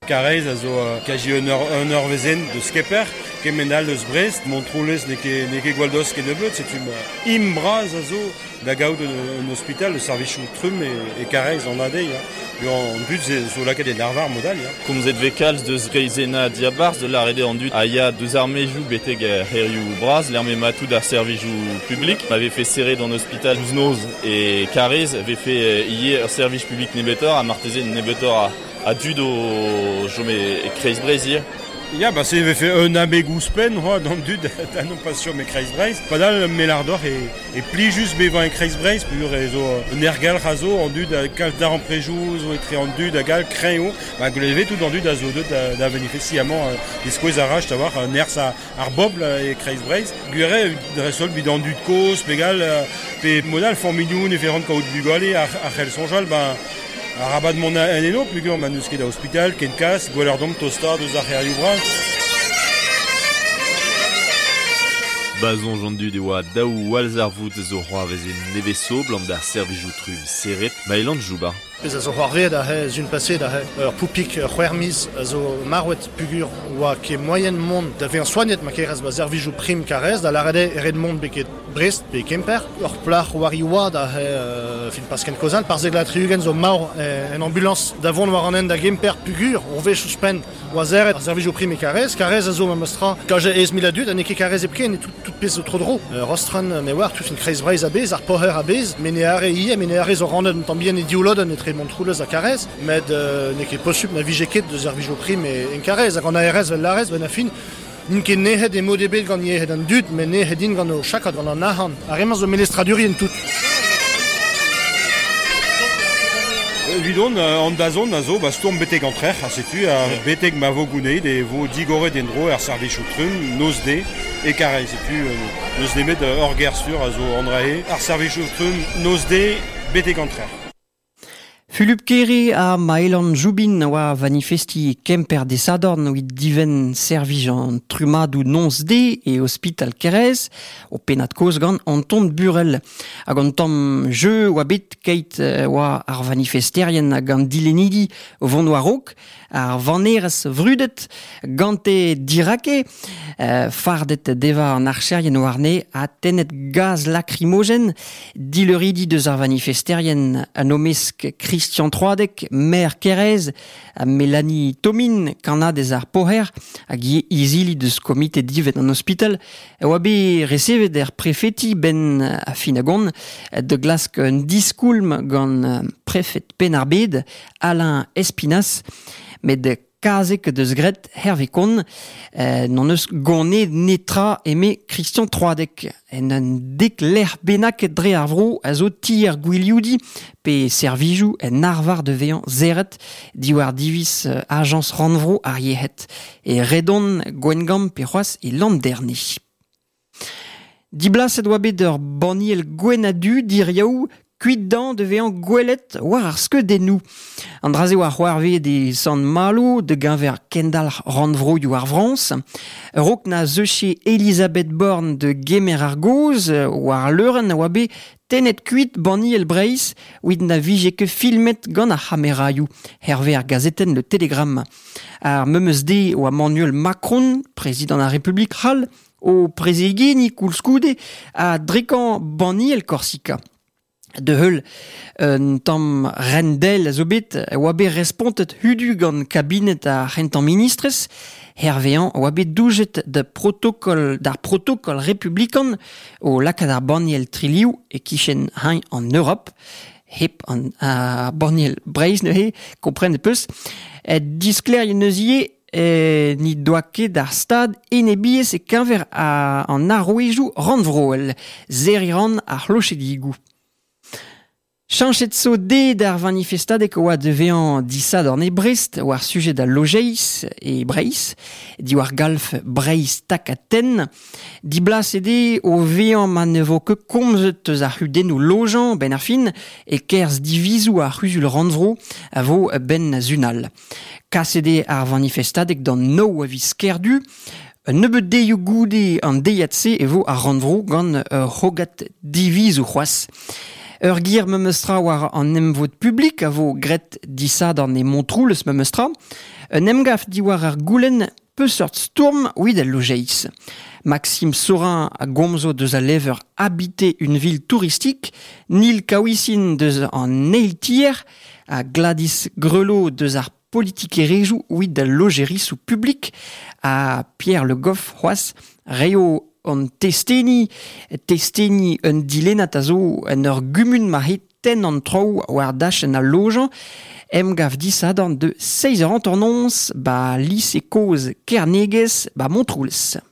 Karez a zo kaji un ur, un ur vezen deus Kemper, kement all deus Brest, Montroulez n'eo ket, n'eo ket gwall dost ket nebeut, setu ma im braz a zo da gaout un, un hospital, le servijoù trumm e, e Karez an adei. Hein. An dud ze, zo lakaet en arvar modal. Hein. Komzet vez kalz deus Reizena diabarzh de l'arrêt an dud a ya deus armejou betek herioù braz, l'armée matou d'ar servijoù public, avait fait serrer dans l'hôpital Noz et Karez avait fait hier service public nebetor, a marteze nebetor a a dud o jome e Kreiz Breizh hier. Ya, bah c'est avait fait un abeg ouzhpenn, oa, d'an dud da non pas sur me Kreiz Breizh. Padal melardor e, e pli just bevañ e Kreiz Breizh, pur e zo un ergal razo an dud a kalz d'ar an prejou, zo etre an dud a gal kreño, ba gleve tout an dud a zo deut da, da manifesti amañ diskouez a rach da war un nerz a, ar bobl e Kreiz Breizh. Gwire dresol bid an dud koz, pegal, pe modal formignoun e ferant kaout bugale ar, ar c'hell soñjal, ba Arabat mont en eno, pugur ma n'eus ket da hospital, ken kas, gweler domp tosta deus ar c'herioù bras. Bazon j'an dud e oa daou walzar vout zo c'hoarvez e neveso blam d'ar servijoù trumm serret, ma elan jouba. Pezh a zo c'hoarvezet a he zun paset a he ur poupik c'hwec'h miz a zo marwet pugur oa ket moyen mont da vezañ soagnet ma kerez ba servijoù prim Karez da lâret eo ret mont beket Brest pe Kemper. Ur plac'h war i oad a he euh, fin pas ken kozal par zegla tri-ugent zo marv en ambulance da vont war an hent da Gemper pugur on vez ouzhpenn oa serret ar servijoù prim e Karez. Karez a zo ma meustra kaje ez mil a dud ha n'eo ket Karez hepken e tout, tout pezh zo tro-dro. Euh, Rostran me oar tout fin Kreiz Breizh a-bezh ar poher a-bezh met ne are ie met ne are zo rannet un tamm bihan e div lodenn etre Montroulez ha Karez, met euh, n'eo ket posupl na vije ket deus servijoù prim e en Karez hag an A R S vel larez ben a fin n'int ket nec'het e mod ebet gant yec'hed an dud, met nec'het int gant o chakad gant an arc'hant. Ar re-mañ zo melestradurien tout. Evidon, an dazon a zo, ba stourm betek an trec'h, ha setu, a betek ma vo gouneid e vo digoret en-dro ar servijoù trumm, noz de, e Karez, setu, neus nemet ur ger sur a zo an drae, ar servijoù trumm, noz de, betek an trec'h. Fulup Kere a Maëlan Joubin oa manifesti Kemper de Sadorn oit diven servij an trumadoù nonz de e hospital Kerez o pennad koz gant Anton Burel. Hag an tamm jeu oa bet keit oa ar manifesterien hag an dilenidi o vont war-raok, ar vanerez vrudet gante dirake, euh, fardet deva an archerien warne a tennet gaz lacrymogen, dileuridi deus ar manifesterien an omesk Christian Troadec, maire Kerez, a Mélanie Tomin, kannadez ar Poher, hag izili deus komite divet an hospital, oa bet resevet er prefeti ben a finagon, de glask un diskoulm gant prefet Penn-ar-Bed, Alain Espinas, met kazek deus gret Hervé Kon, euh, n'on eus gonnet netra eme Christian Troadec. En un dek lec'h bennak dre ar vro a zo tier gwilioudi pe servijoù en arvar de vezañ zeret diwar divis euh, agence rannvro ar yec'hed e Redon Gwengamp pe c'hoazh e Landerne. Diblaset oa bet ur banniel gwenn ha du diriaou Kuit dan de vean gwelet war ar skeudennoù. An draze war c'hoarve de Sant Malo, de gañver kendal rannvroioù ar Frans. Rok na zeuche Elisabeth Borne de gemer ar goz, war leuren a oa bet tenet kuit banniel Breizh, oit na vije ket filmet gant ar c'hameraioù, herve ar gazetenn Le Télégramme. Ar memeus de oa Emmanuel Macron, prezidant ar Republik c'hall, o prezegeni koulskoude a drekan banniel Korsika. De heul un tamm rendel a zo bet oa bet respontet hudu gant kabinet ar c'hentañ ministrez, hervean oa bet doujet de protokol d'ar protokol republikan o lakaat ar banniel triliv e kichen hein en Europe, hep an ar banniel Breizh neuze, kompren peus, diskler neuzie e ni doa ket ar stad enebiez e keñver a, an arouezioù rannvroel, zeriran ar c'hlochedigou. Chanchet zo de d'ar manifestadek oa devean disad an e Brest war sujet da lojeiz e Breizh, diwar galf Breizh takaten, di blas ede o vean ma ne vo ket komzet eus ar c'hudennoù lojañ ben ar fin e kerz divizou ar c'huzul rannvro a vo ben zunal. Kas ede ar manifestadek d'an nou a viz kerdu, Un nebeud deioù goude an deiad-se e vo ar rannvro gant ur c'hogad divizou c'hoazh. Ur gir memeustra war an emvod publik a vo gret disad an e Montroulez memeustra. Un emgav diwar ar goulenn peseurt stourm oid al lojeiz. Maxime Sorin a gomzo deus a lever habiter une ville touristique, Nil Kaouissin deus an eil tier, a Gladys Grelot deus ar politikerezioù oid al lojerisou publik, a Pierre Le Goff c'hoazh reio an testeni, testeni un dilennad a zo en ur gumun ma het ten an traoù war dachenn al lojañ, emgav disadorn de seiz eur hanter-noz ba lise kozh Kernegez ba Montroulez.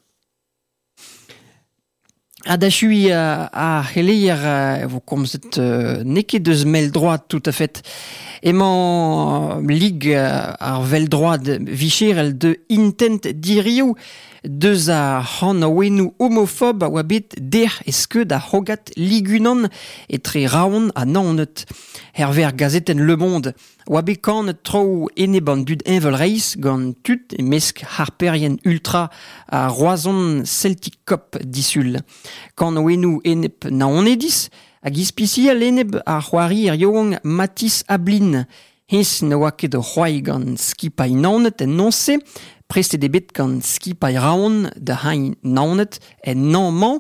A dachui a, a c'heleier euh, vo komzet euh, n'eo ket deus mell-droad tout à fait. Emañ lig euh, ar vell-droad vicherel de intent dirioù deus ar c'hanaouennoù homofob a oa bet der e skeud ar c'hogad ligunan etre Raon ha Naoned. Herve ar gazetenn Le Monde oa bet kanet traoù enep an dud heñvelreizh gant tud e mesk harperien ultra a Roazhon Celtic Cop disul. Kanaouennoù enep Naonediz hag ispisial enep ar c'hoari er yaouank Mathis Ablin. Hennezh ne oa ket o c'hoari gant skipailh Naoned en noz-se, prestet eo bet gant skipailh Raon da hein Naoned en nañ-mañ,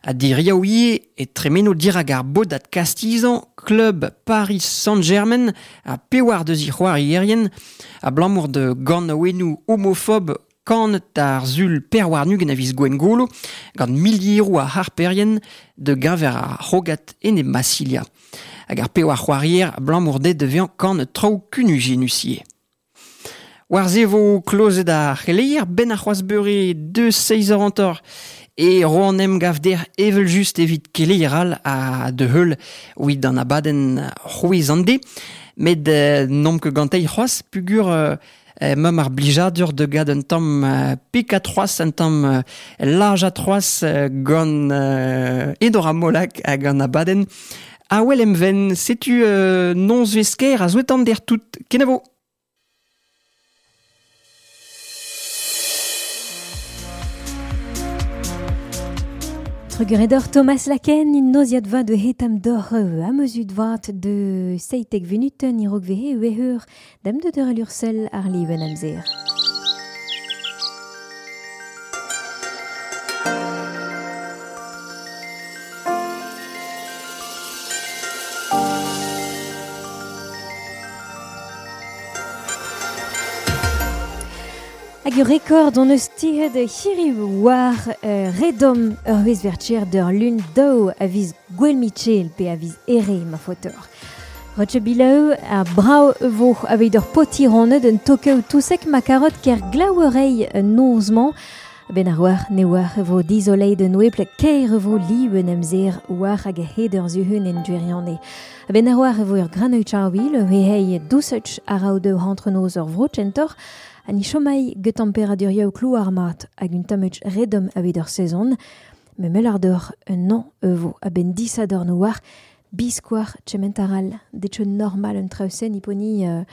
ha diriaou ivez e tremeno dirak ar bodad kastizañ klub Paris Saint-Germain ha pewar deus i c'hoarierien abalamour de ganaouennoù homofob kanet ar sul perwarnugen a viz Gwengolo gant milieroù a harperien de gañver ar c'hogad enep Massilia. Hag ar pewar c'hoarier abalamour dezhe da vezañ kanet traoù kunujenus-ivez. War se vo klozet ar c'heleier ben ar c'hoazh beure deus seiz eur hanter e ro an emgav der evel just evit keleier all a de heul oit an abadenn c'hwez an de. Met euh, n'omp ket gantei c'hoazh pugur euh, euh, mem ar blijadur de gad un tamm euh, pik a troaz, un tamm euh, large a troaz euh, gant euh, Edora Molak hag an abadenn Awel emven, setu euh, nonz vesker a zouetan der tout. Kenavo! Trugaredor Thomas Laken, in noziad vat de hetam dor amezud vat de seitek venuten irok vehe ueheur dam de deur alur sel ar liven amzer. Hag ur rekord on eus tiret hiriv war euh, redom ur wezh vertcher d'ur lun daou a viz Gwel Michel pe a viz ere ma fotor. Roche bilaou a brao vo aveit ur potironet un tokeu tousek ma karot ker glaouerei nozman ben ar war ne war vo dizolei de noueple keir vo liwen emzer war hag a hed ur zuhun en dueriane. Ben ar war vo ur granout charwil he hei dousuch a rao de rentrenoz ur vrochentor ha ni chomai get tempéradurioù klouar mat hag un tammech redom aveit ur sezon, me mel ar d'ur un an evo a ben disador no war biskoar tchementaral detcho normal un trausen iponi euh,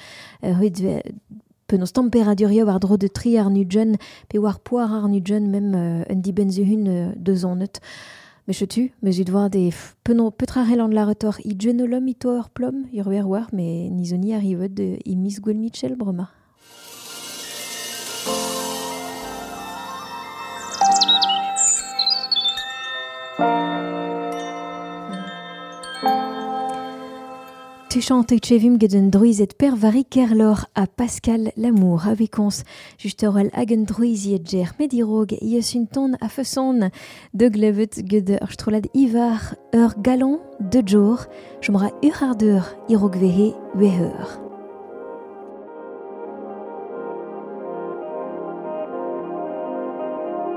euh, penaos temperadurioù ar dro de tri ar nudjen pe war poar ar nudjen mem euh, un dibenzuhun euh, deux an neut. Me chetu, me zut war de penon petra an la retor i genolom i to ur plom, ur wer war, me nizoni arrivet de i mis gwell Michel brema. Tu chantes chevim get un druizet per vari kerlor a Pascal Lamour a wekons just ur hag un druiziet ger medirog ieus un ton a feson de glevet get ur strolad ivar ur galon de jour chomra ur ar deur irog vehe weheur. Thank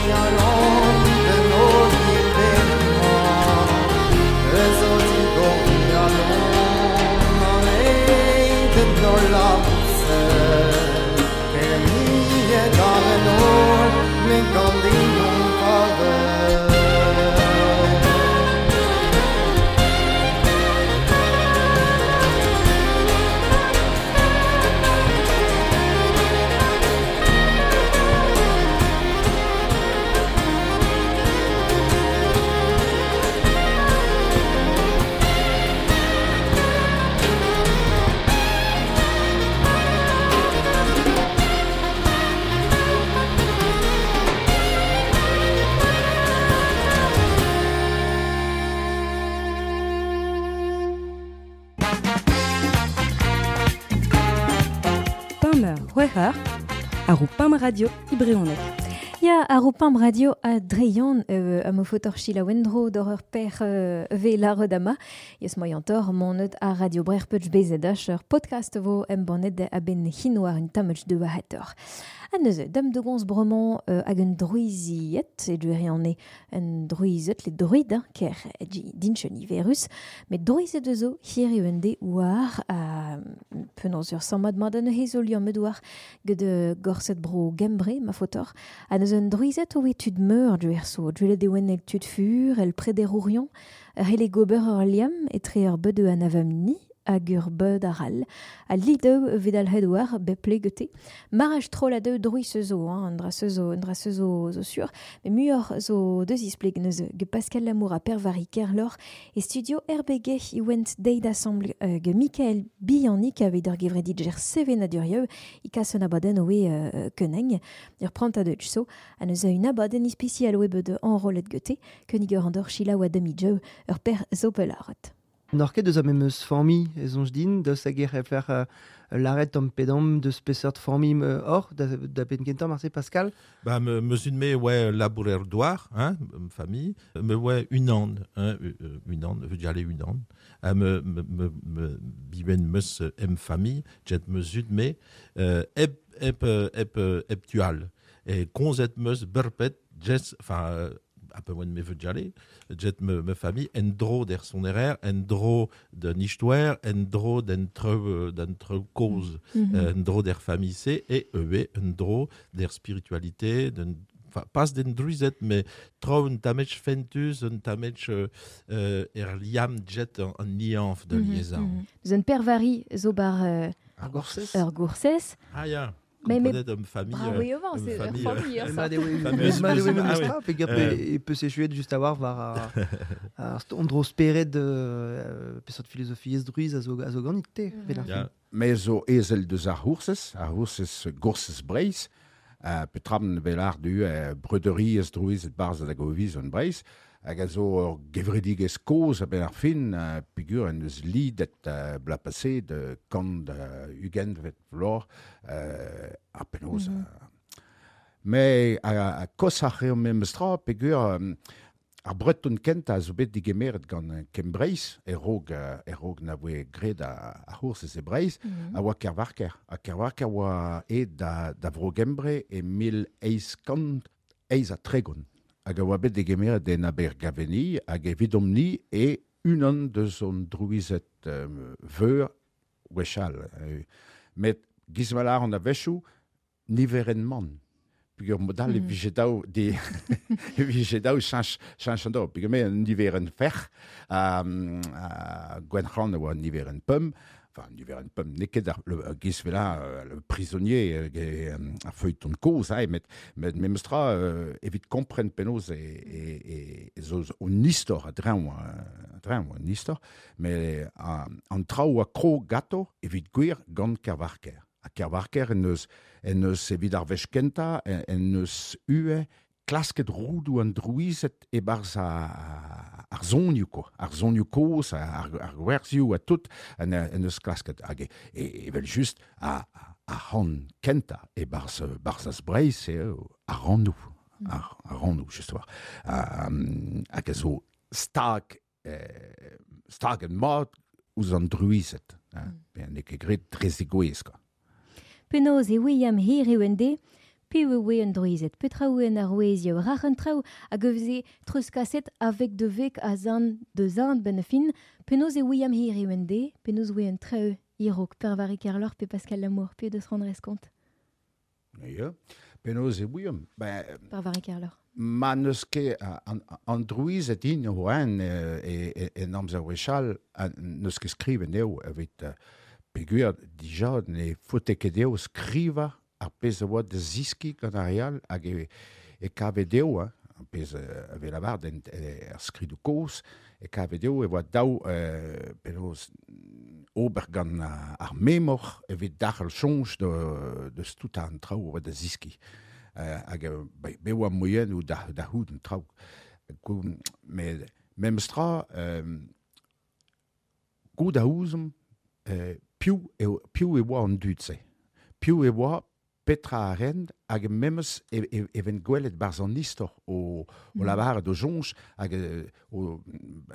galon den o dibenn Eus o digor galon an eit en o labousse Permiet ar en ol me gant din on kavet. C'hwec'h ar Pam Radio Ibreonek. Ya, ar Pam Radio a dreion euh, a mo fotor chila wendro d'or ur per euh, ve la redama. Yes moyantor monet a Radio Brer peuch B Z H ur podcast vo em bonnet a ben hinoar un tamech de wahator. A neuze, dam de gons bromon euh, hag un druiziet, e duere an e un druizet, le druid, hein, ker dinchen iverus, met druizet ezo hir e un de war a penaos ur sammad mat an hezo liamm medoar ged gorset bro gembre, ma fotor, a neuze un druizet oe tud meur duer so, duelet e oen el tud fur, el prederourion, hele gober ur liamm etre ur beud an avamni, hag ur beud aral, a lideu vedal hedouar beple gete. Maraj troll a deu druiz zo, hein, an dra zo, an dra zo zo sur, mais muioc'h zo deus ispleg neuze ge Pascal Lamour a Pervari Kerlor e studio R B G i went deit assemble euh, ge Michael Biannic aveit ur gevredit ger sevenadurieu i kas un abadenn oe euh, keneng, ur prant a deutsch so, a neuze un abadenn ispecial oe beud enrollet gete, kenig ur andor chila oa demi-jeu ur per zo pelaret. N'or ket deus a memeus formi ez onj din, deus hag e fer uh, l'arret tamm pedam deus peseurt formi euh, or, da, da ben kentañ marse Pascal? Ba, me, meus un me oe labourer douar, hein, famille, me oe unan, hein, unan, veut dire unan, ha me, me, me, me biben meus em famille, jet meus un me, euh, eb, eb, eb, eb tual, e konzet meus berpet, jes, enfin, un peu moins de mes vœux de jet me, me famille, en dro der sonerer, en dro de nichtouer, en dro d'entre d'entre cause, mm -hmm. en dro der famille C, et E, en dro der spiritualité, d'un enfin, pas den druizet, mais tro un tamech fentus, un tamech euh, er liam jet en, en nianf de mm -hmm, liaison. Mm -hmm. Un pervari zo bar euh, ar gorsez. Ur gorsez. Ah ya. Mais mais homme famille oui avant c'est famille famille e peut s'échouer juste avoir war ar ondro speret de peseurt philosophie druiz a zo a zo ganit te me zo ezel deus ar c'hoursez ar c'hoursez gorsez Breizh petram velar du breuderie ez druiz et barz da goviz an Breizh hag a zo ur gevredigezh kozh a benn ar fin peogwir en deus lidet bla passé de kant ugent vet vlor ar penaos. Mais a kos ar eo memes tra peogwir ar breton kentañ a zo bet digemeret gant Kembreiz e rog e rog na voe graet ar c'hoursez e Breizh a oa Kervarker. Ha Kervarker oa aet da, da vro Gembre e mil eizh kant eizh ha tregont. Hag a oa bet degemeret en Abergaveni hag evidomp-ni e unan deus hon drouizet euh, veur gwechall. Met gizmalar an a-wechoù niveren man. Peogwir modal mm -hmm. e vije daou de e vije daou chañch chañch an daou. Peogwir me an niveren ferc'h um, uh, Gwenn-C'hlan a oa niveren pemp, enfin niveren pemp n'eo ket ar le gizvela le prisonnier ar feuilleton kozh ae, met met memes tra euh, evit kompren penaos e e e zo un istor a-dreñv a-dreñv un istor, met an traoù a krog gato evit gwir gant Kervarker. A Kervarker en eus en eus evit ar wech kentañ en eus ue klasket roudoù an drouized e-barzh ar zonioù ko, ar zonioù kozh, ar, ar gwerzioù ha tout en, en eus klasket hag e, evel just a, a c'han kentañ e-barzh barzh az Breizh eo ar rannoù, ar, ar rannoù just war. Hag a zo stag eh, stag en mat ouzh an drouized, hein, mm. N'eo ket graet dre zegouezh quoi. Penaos e William hir eo en de, Piv e oe an drouized, petra oe an arouezioù, rac'h an traoù hag e veze treuzkaset avec de vek a zan de zan ben a fin, penaos e ouiam hiriv en de, penaos oe an traoù irok, Per Vari Kerloc'h pe Pascal Lamour, pe deus rendre compte. Ya, penaos e ouiam. Ben, Per Vari Kerloc'h. Ma n'eus ket an, an drouized in o en e, e, en amzer wechall n'eus ket skrivet eo evit peogwir dija ne faote ket dezho skrivañ ar pezh a oa da ziskiñ gant ar re all hag e, e kave dezho, hein, ar pezh a vez lavaret en, er skridoù kozh, e kave dezho e oa daou euh, penaos ober gant ar memor evit darc'hel soñj deus tout an traoù a oa da ziskiñ. Uh, hag uh, be oa moienoù da, da c'hoût an traoù. Met memes tra, euh, goût a ouzomp, euh, piv e, piv e oa an dud-se. Piv e oa petra a rent hag memes e, e, e ven gwelet barzh an istor o, o lavaret o soñj hag o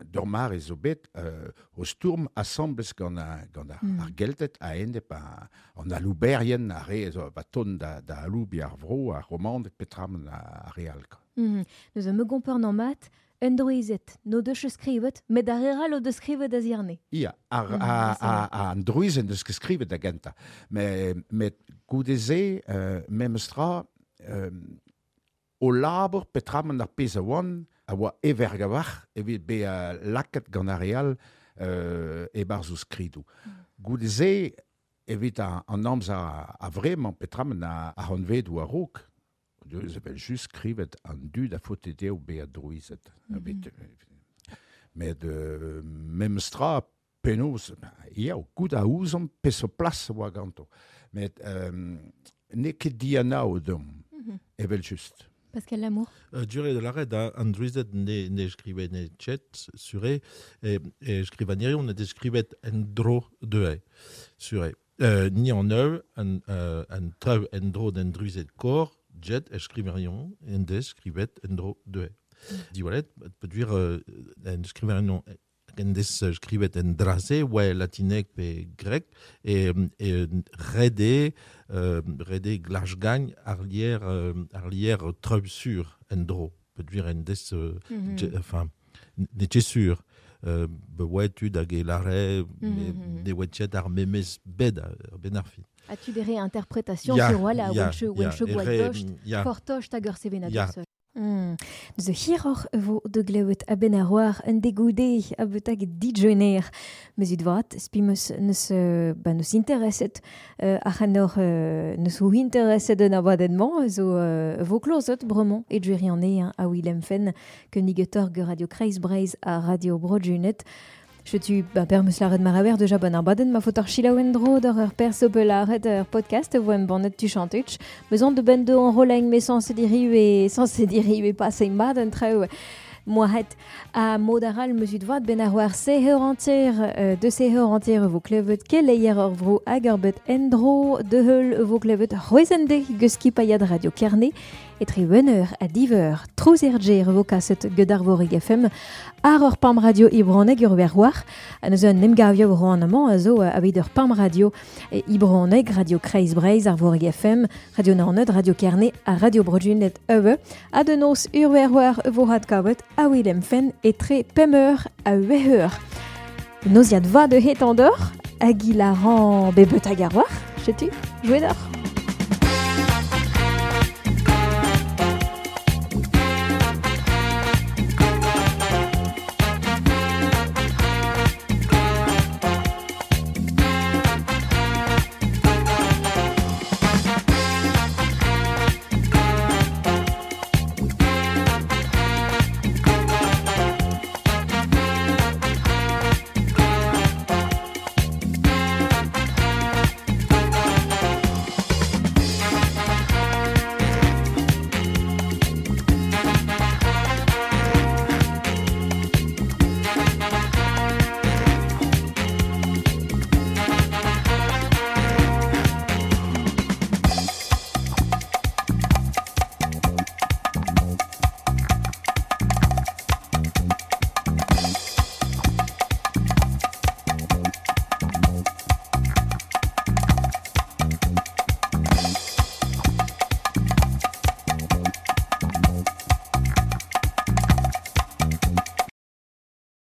d'ur mare zo bet euh, o stourm asambles gant a, gant ar, mm. ar Gelted a-enep an alouberien ar re zo ba ton da, da aloubi ar vro, ar Romaned petra ar re all. Mm. Neus a me gompren an mat, un drouized, no deus skrivet, met ar re all o deus skrivet a ziarne. Ia, ar, mm, a, a, a, an drouized deus ket skrivet da gentañ. Met, met goude-se, euh, memes tra, euh, o labour petraman ar pezh a oan, a oa everg a-walc'h evit bezañ lakaet gant ar re all euh, e-barzh o skridoù. Mm. Goude-se, evit an, an amzer a vremañ petraman a, a c'hantvedoù a-raok, deus evel just skrivet an dud a faote dezho bezañ drouized. Mm-hmm. Met euh, memes tra, penaos, ya, goût a ouzomp peseurt plas a oa ganto. Met euh, n'eo ket dianav deomp, mm-hmm. evel just. Pascal Lamour. Euh, Duré de l'arrêt da an drouized ne, ne skrivet ne chet sure, e, e skrivanerion ne skrivet en dro deue, sure. Euh, ni an eu, an, euh, an traoù en dro d'en drouized kor, jet e skriverion en des skrivet en dro deue. Mm. Diwalet, peogwir euh, en skriverion en des skrivet en drase, oa latinek pe grek, e, e rede, euh, rede glachgagn ar lier, euh, ar lier treub sur en dro, peogwir en des, euh, mm-hmm. je, enfin, ne ket sur. Euh, be oa tud hag e lare, mm-hmm. ne oa ket ar memes bed ar ben ar fin. As-tu des réinterprétations ya, sur voilà, ya, wenche gwall fortocht hag ur sevenadur. Mm. Neuze hiroc'h vo de glewet a ben ar war un degoude a betag dijener. Meus vat, spi meus neus, ba neus intereset euh, ar c'hanor euh, neus o intereset un abadennement zo euh, vo klozet bremañ e djerian e a Willem Fenn keunigetor ge Radio Kreiz Breizh a Radio Broadjunet. Chetu ba per meus laret maraber deja bon ar baden ma faot ar chilaouen dro d'ur ur perso belaret ur podcast vo em bannet tu chantuch. Meus an de ben de en roleng me sans se diriu e sans se diriu e pas e mat an traoù moahet a modaral meus ut vat ben ar war se heur entier euh, de se heur entier vo klevet keleier ur vro hag ur bet endro de heul vo klevet c'hwezende geus paiad Radio Kerne etre un eur a div eur trouz er ger vo kaset get ar vorig F M ar ur pam radio ibroneg ur wer war a neus un emgavio ro an amañ a zo aveit ur pam radio ibroneg Radio Kreiz Breizh ar vorig F M Radio Naoned Radio Kerne a Radio Broadjunet ewe a de noz ur wer war vo hat kavet a Willem Fenn etre pemp eur a hueh eur. Noziad va de het an dor hag il a ran bebet hag ar war, chetu, jouet d'or.